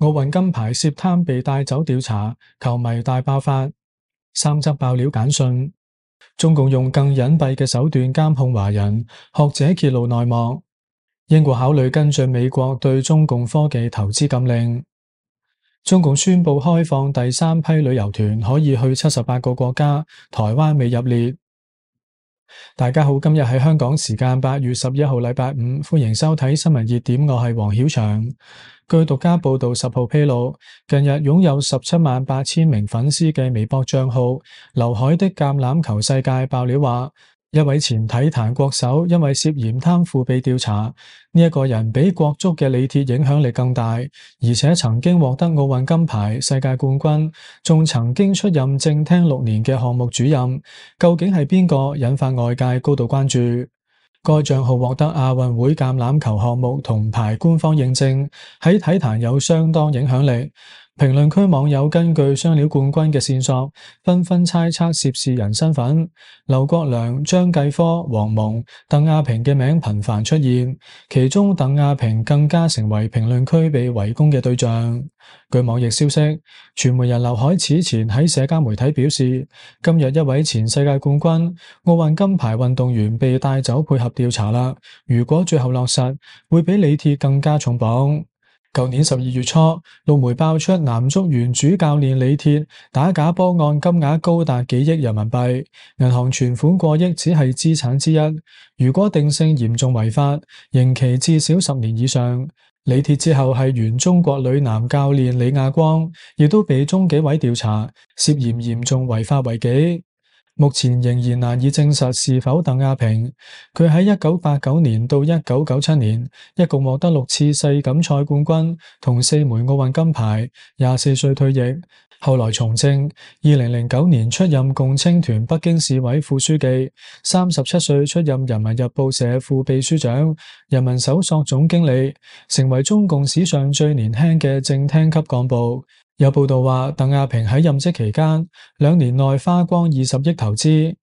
奧運金牌涉貪被帶走調查，球迷大爆發。三則爆料簡訊，中共用更隱蔽嘅手段監控華人，學者揭露內幕。英國考慮跟進美國對中共科技投資禁令。中共宣布開放第三批旅遊團，可以去78個國家，台灣未入列。大家好，今日係香港時間8月11號禮拜五，歡迎收睇新聞熱點，我係黃曉翔。據獨家報道10號披露，近日擁有178000名粉絲嘅微博賬號劉海的橄欖球世界爆料話，一位前體壇國手因為涉嫌貪腐被調查。呢一個人比國足嘅李鐵影響力更大，而且曾經獲得奧運金牌、世界冠軍，仲曾經出任正廳6年嘅項目主任。究竟係邊個引發外界高度關注？該賬號獲得亞運會橄欖球項目銅牌官方認證，喺體壇有相當影響力。評論區網友根據雙料冠軍嘅線索，紛紛猜測涉事人身份。劉國梁、張繼科、黃蒙、鄧亞萍嘅名頻繁出現，其中鄧亞萍更加成為評論區被圍攻嘅對象。據網易消息，傳媒人劉海此前喺社交媒體表示，今日一位前世界冠軍、奧運金牌運動員被帶走配合調查啦。如果最後落實，會比李鐵更加重磅。舊年12月初，陸媒爆出男足原主教練李鐵打假波案金額高達幾億人民幣，銀行存款過億只係資產之一。如果定性嚴重違法，刑期至少10年以上。李鐵之後係原中國女籃教練李亞光，亦都被中紀委調查，涉嫌嚴重違法違紀。目前仍然難以證實是否鄧亞萍。佢喺1989年到1997年，一共獲得6次世錦賽冠軍同4枚奧運金牌，24歲退役，後來從政。2009年出任共青團北京市委副書記，37歲出任人民日報社副秘書長、人民搜索總經理，成為中共史上最年輕嘅正廳級幹部。有報道話，鄧亞萍喺任職期間2年內花光20億投資。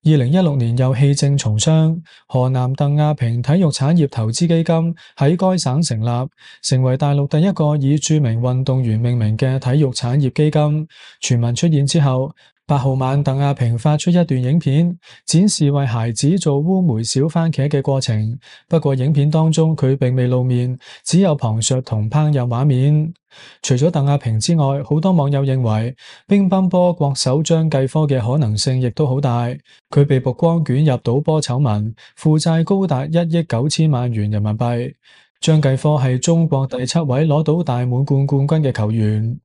2016年又棄政從商，河南鄧亞萍體育產業投資基金喺該省成立，成為大陸第一個以著名運動員命名嘅體育產業基金。傳聞出現之後，8號晚鄧亞萍發出一段影片，展示為孩子做烏梅小番茄嘅過程。不過影片當中佢並未露面，只有旁述同烹飪畫面。除咗鄧亞萍之外，好多網友認為乒乓波國手張繼科嘅可能性亦都好大。佢被曝光捲入賭波醜聞，負債高達1億9千萬元人民幣。張繼科係中國第7位攞到大滿貫冠軍嘅球員。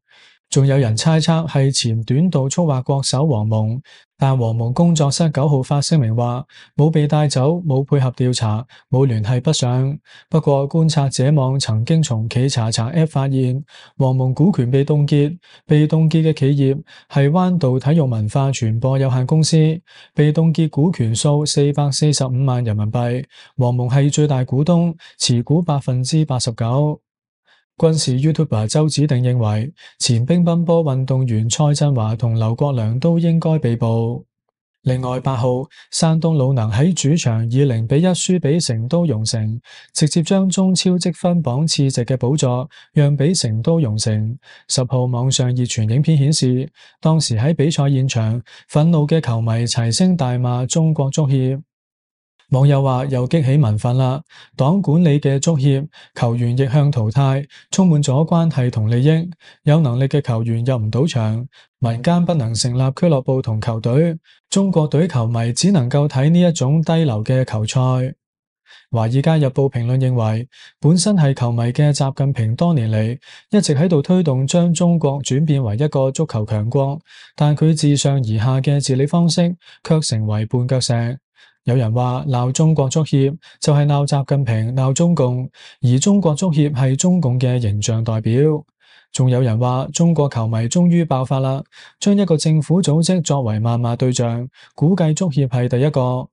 仲有人猜測係前短道速滑國手黃蒙，但黃蒙工作室9號發聲明話冇被帶走，冇配合調查，冇聯繫不上。不過觀察者網曾經從企查查 App 發現，黃蒙股權被凍結，被凍結嘅企業係彎道體育文化傳播有限公司，被凍結股權數445萬人民幣，黃蒙係最大股東，持股89%。軍事 YouTuber 周子定認為，前乒乓波運動員蔡振華同劉國梁都應該被捕。另外8號，山東魯能喺主場以0-1輸俾成都蓉城，直接將中超積分榜次席嘅寶座讓俾成都蓉城。10號網上熱傳影片顯示，當時喺比賽現場，憤怒嘅球迷齊聲大罵中國足協。網友話又激起民憤啦，黨管理嘅足協，球員逆向淘汰，充滿咗關係同利益，有能力嘅球員入唔到場，民間不能成立俱樂部同球隊，中國隊球迷只能夠睇呢一種低流嘅球賽。華爾街日報評論認為，本身係球迷嘅習近平多年嚟一直喺度推動將中國轉變為一個足球強國，但佢自上而下嘅治理方式卻成為絆腳石。有人話鬧中國足協就係鬧習近平、鬧中共，而中國足協係中共嘅形象代表。仲有人話中國球迷終於爆發啦，將一個政府組織作為謾罵對象，估計足協係第一個。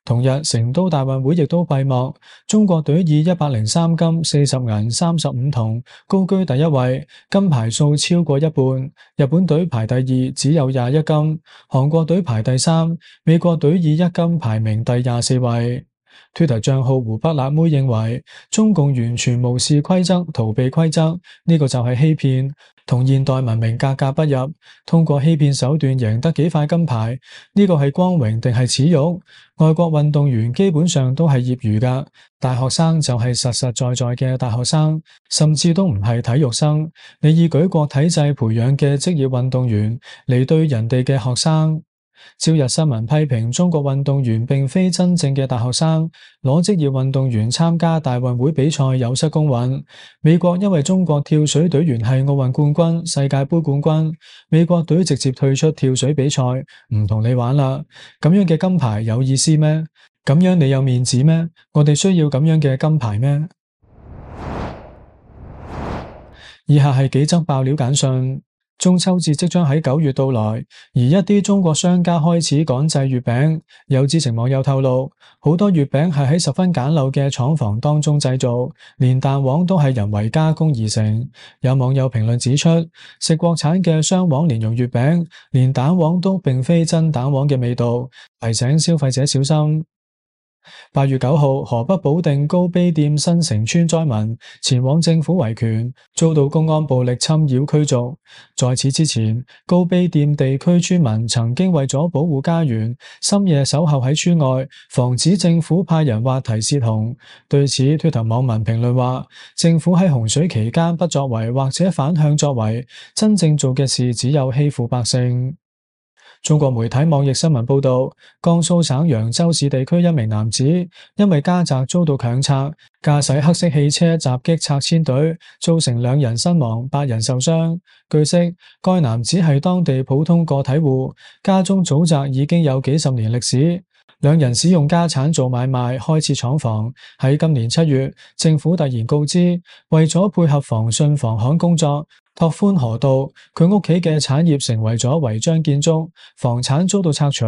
同日，成都大運會亦都閉幕，中國隊以103金、40銀、35銅高居第一位，金牌數超過一半。日本隊排第2，只有21金；韓國隊排第3，美國隊以1金排名第24位。Twitter 賬號湖北辣妹認為，中共完全無視規則，逃避規則，呢個就係欺騙，同現代文明格格不入。通過欺騙手段贏得幾塊金牌，呢個係光榮定係恥辱？外國運動員基本上都係業餘㗎，大學生就係實實在在嘅大學生，甚至都唔係體育生。你以舉國體制培養嘅職業運動員嚟對人哋嘅學生。朝日新聞批評中國運動員並非真正嘅大學生，攞職業運動員參加大運會比賽有失公允。美國因為中國跳水隊員係奧運冠軍、世界盃冠軍，美國隊直接退出跳水比賽，唔同你玩啦。咁樣嘅金牌有意思咩？咁樣你有面子咩？我哋需要咁樣嘅金牌咩？以下係幾則爆料簡訊。中秋節即將喺9月到來，而一啲中國商家開始趕製月餅。有知情網友透露，好多月餅係喺十分簡陋嘅廠房當中製造，連蛋黃都係人為加工而成。有網友評論指出，食國產嘅雙黃蓮蓉月餅，連蛋黃都並非真蛋黃嘅味道，提醒消費者小心。8月9號，河北保定高碑店新城村災民前往政府維權，遭到公安暴力侵擾驅逐。在此之前，高碑店地區村民曾經為咗保護家園，深夜守候喺村外，防止政府派人挖堤泄洪。對此，Twitter 網民評論話：政府喺洪水期間不作為或者反向作為，真正做嘅事只有欺負百姓。中國媒體網易新聞報道，江蘇省揚州市地區一名男子因為家宅遭到強拆，駕駛黑色汽車襲擊拆遷隊，造成2人身亡、8人受傷。據悉，該男子係當地普通個體戶，家中祖宅已經有幾十年歷史。2人使用家產做買賣，開設廠房。喺今年7月，政府突然告知，為咗配合防汛防旱工作，拓寬河道，佢屋企嘅產業成為咗違章建築，房產遭到拆除。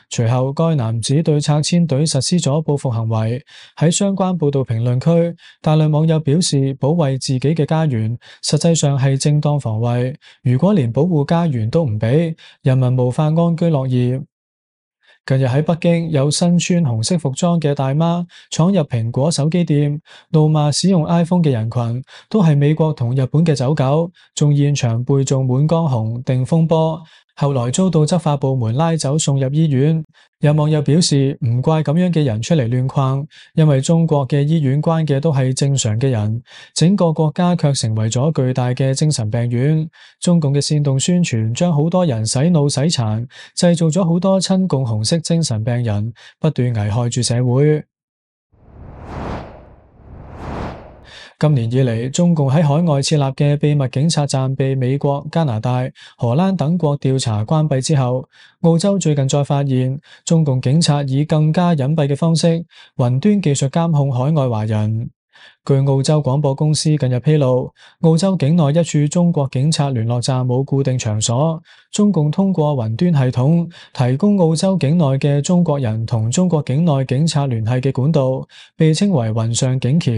隨後，該男子對拆遷隊實施咗報復行為。喺相關報道評論區，大量網友表示，保衛自己嘅家園，實際上係正當防衛。如果連保護家園都唔俾，人民無法安居樂業。近日喺北京，有身穿紅色服裝嘅大媽闖入蘋果手機店，怒罵使用 iPhone 嘅人群都係美國同日本嘅走狗，仲現場背誦滿江紅、定風波。後來遭到執法部門拉走送入醫院。有網友表示，唔怪咁樣嘅人出嚟亂逛，因為中國嘅醫院關嘅都係正常嘅人，整個國家卻成為咗巨大嘅精神病院。中共嘅煽動宣傳將好多人洗腦洗殘，製造咗好多親共紅色精神病人，不斷危害住社會。今年以嚟，中共喺海外設立嘅秘密警察站被美國、加拿大、荷蘭等國調查關閉之後，澳洲最近再發現中共警察以更加隱蔽嘅方式雲端技術監控海外華人。據澳洲廣播公司近日披露，澳洲境內一處中國警察聯絡站冇固定場所，中共通過雲端系統提供澳洲境內嘅中國人同中國境內警察聯繫嘅管道，被稱為雲上警橋。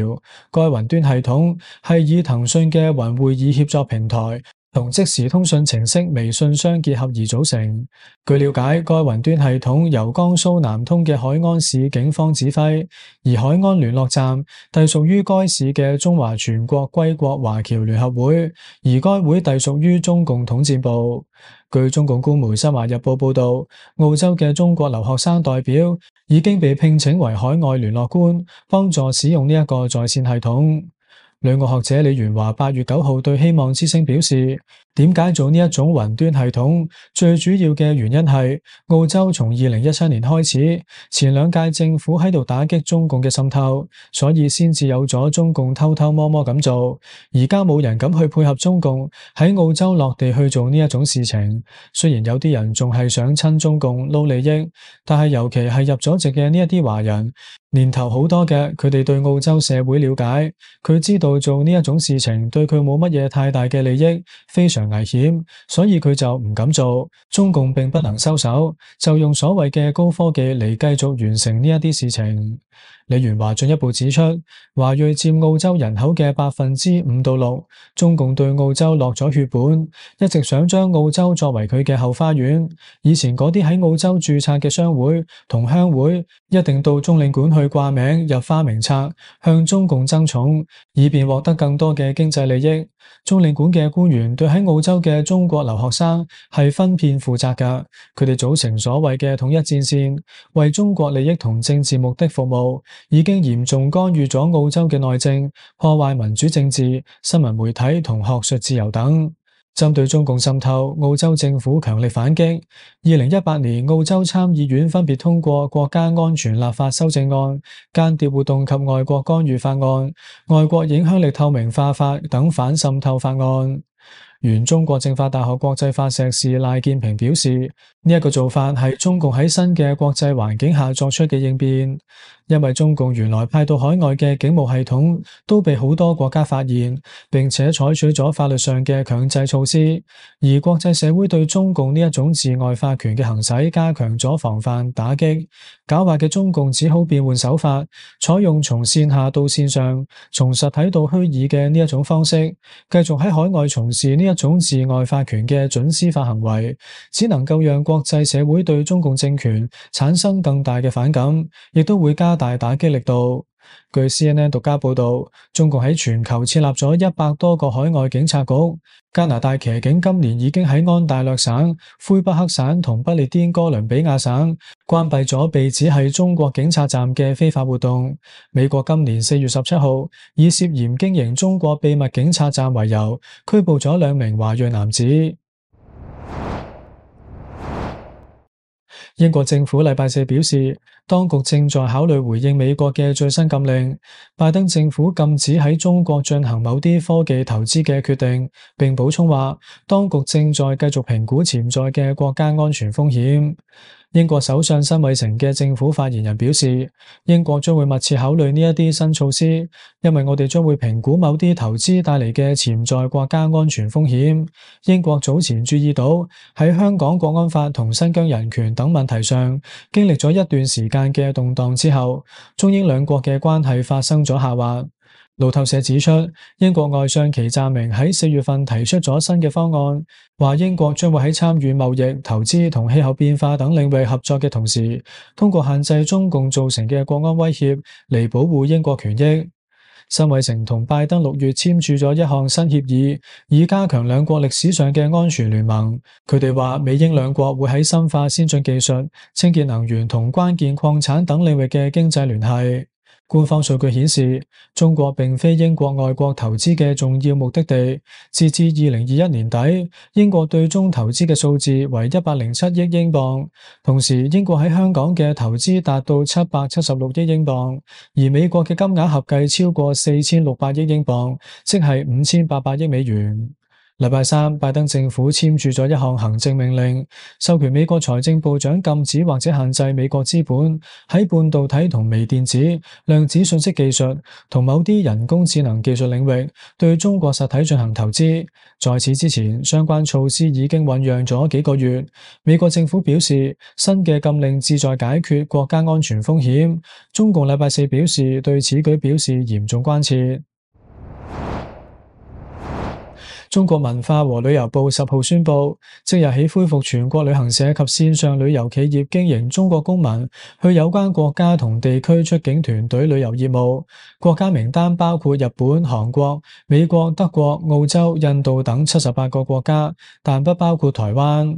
該雲端系統係以騰訊嘅雲會議協作平台同即時通訊程式微信相結合而組成。據了解，該雲端系統由江蘇南通嘅海安市警方指揮，而海安聯絡站隸屬於該市嘅中華全國歸國華僑聯合會，而該會隸屬於中共統戰部。據中共官媒新華日報報道，澳洲嘅中國留學生代表已經被聘請為海外聯絡官，幫助使用呢一個在線系統。旅外學者李元華8月9號對希望之聲表示，點解做呢一種雲端系統？最主要嘅原因係澳洲從2017年開始，前2屆政府喺度打擊中共嘅滲透，所以先至有咗中共偷偷摸摸咁做。而家冇人敢去配合中共喺澳洲落地去做呢一種事情。雖然有啲人仲係想親中共撈利益，但係尤其係入咗籍嘅呢一啲華人，年頭好多嘅，佢哋對澳洲社會了解，佢知道做呢一種事情對佢冇乜嘢太大嘅利益，非常危險，所以佢就唔敢做。中共並不能收手，就用所謂嘅高科技嚟繼續完成呢一啲事情。李元華進一步指出，華裔佔澳洲人口嘅5%到6%，中共對澳洲落咗血本，一直想將澳洲作為佢嘅後花園。以前嗰啲喺澳洲註冊嘅商會同鄉會，一定到中領館去掛名入花名冊，向中共爭寵，以便獲得更多嘅經濟利益。中領館嘅官員對喺澳洲嘅中國留學生係分片負責㗎，佢哋組成所謂嘅統一戰線，為中國利益同政治目的服務，已經嚴重干預咗澳洲嘅內政，破壞民主政治、新聞媒體同學術自由等。針對中共滲透，澳洲政府強力反擊。2018年，澳洲參議院分別通過國家安全立法修正案、間諜活動及外國干預法案、外國影響力透明化法等反滲透法案。原中國政法大學國際法碩士賴建平表示，呢一個做法係中共喺新嘅國際環境下作出嘅應變，因為中共原來派到海外嘅警務系統都被好多國家發現，並且採取咗法律上嘅強制措施，而國際社會對中共呢一種治外法權嘅行使加強咗防範打擊，狡猾嘅中共只好變換手法，採用從線下到線上、從實體到虛擬嘅呢一種方式，繼續喺海外從事呢一種治外法權嘅準司法行為，只能夠讓國際社會對中共政權產生更大嘅反感，亦都會加大打擊力度。據 CNN 獨家報道，中共喺全球設立咗100多個海外警察局。加拿大騎警今年已經喺安大略省、魁北克省同不列顛哥倫比亞省關閉咗被指係中國警察站嘅非法活動。美國今年4月17號以涉嫌經營中國秘密警察站為由，拘捕咗2名華裔男子。英國政府禮拜四表示，當局正在考慮回應美國嘅最新禁令，拜登政府禁止喺中國進行某啲科技投資嘅決定，並補充話，當局正在繼續評估潛在嘅國家安全風險。英國首相辛偉誠嘅政府發言人表示，英國將會密切考慮呢一啲新措施，因為我哋將會評估某啲投資帶嚟嘅潛在國家安全風險。英國早前注意到喺香港國安法同新疆人權等問題上，經歷咗一段時間嘅動盪之後，中英兩國嘅關係發生咗下滑。路透社指出，英國外相祁湛明喺4月份提出咗新嘅方案，話英國將會喺參與貿易、投資同氣候變化等領域合作嘅同時，通過限制中共造成嘅國安威脅嚟保護英國權益。辛偉誠同拜登6月簽署咗一項新協議，以加強兩國歷史上嘅安全聯盟。佢哋話，美英兩國會喺深化先進技術、清潔能源同關鍵礦產等領域嘅經濟聯繫。官方數據顯示，中國並非英國外國投資嘅重要目的地。截至2021年底，英國對中投資嘅數字為107億英鎊，同時英國喺香港嘅投資達到776億英鎊，而美國嘅金額合計超過4600億英鎊，即係5800億美元。禮拜三，拜登政府簽署咗一項行政命令，授權美國財政部長禁止或者限制美國資本喺半導體同微電子、量子信息技術同某啲人工智能技術領域對中國實體進行投資。在此之前，相關措施已經醞釀咗幾個月。美國政府表示，新嘅禁令旨在解決國家安全風險。中共禮拜四表示，對此舉表示嚴重關切。中國文化和旅遊部10號宣布，即日起恢復全國旅行社及線上旅遊企業經營中國公民去有關國家同地區出境團隊旅遊業務。國家名單包括日本、韓國、美國、德國、澳洲、印度等78個國家，但不包括台灣。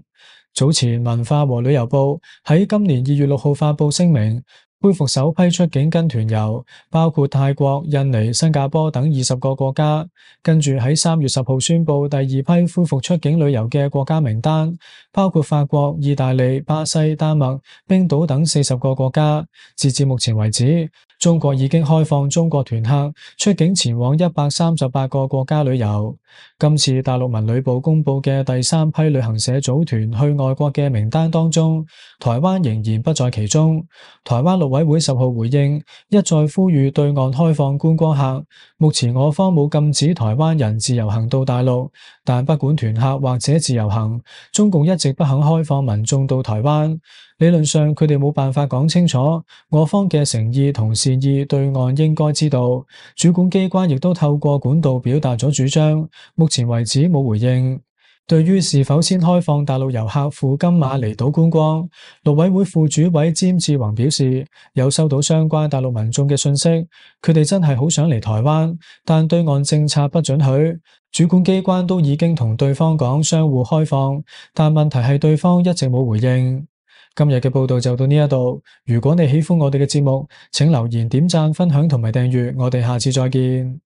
早前文化和旅遊部喺今年2月6號發佈聲明，恢復首批出境跟團遊，包括泰國、印尼、新加坡等20個國家。跟住喺3月10號宣布第2批恢復出境旅遊嘅國家名單，包括法國、意大利、巴西、丹麥、冰島等40個國家。截至目前為止，中國已經開放中國團客出境前往138個國家旅遊。今次大陸文旅部公布嘅第3批旅行社組團去外國嘅名單當中，台灣仍然不在其中。台灣陸委會10號回應，一再呼籲對岸開放觀光客。目前我方冇禁止台灣人自由行到大陸，但不管團客或者自由行，中共一直不肯開放民眾到台灣。理論上佢哋冇辦法講清楚我方嘅誠意同是善意，對岸應該知道。主管機關亦都透過管道表達咗主張，目前為止冇回應。對於是否先開放大陸遊客赴金馬離島觀光，陸委會副主委詹志宏表示，有收到相關大陸民眾嘅信息，佢哋真係好想嚟台灣，但對岸政策不准許。主管機關都已經同對方講相互開放，但問題係對方一直冇回應。今日嘅報道就到呢一度，如果你喜歡我哋嘅節目，請留言、點讚、分享同埋訂閱，我哋下次再見。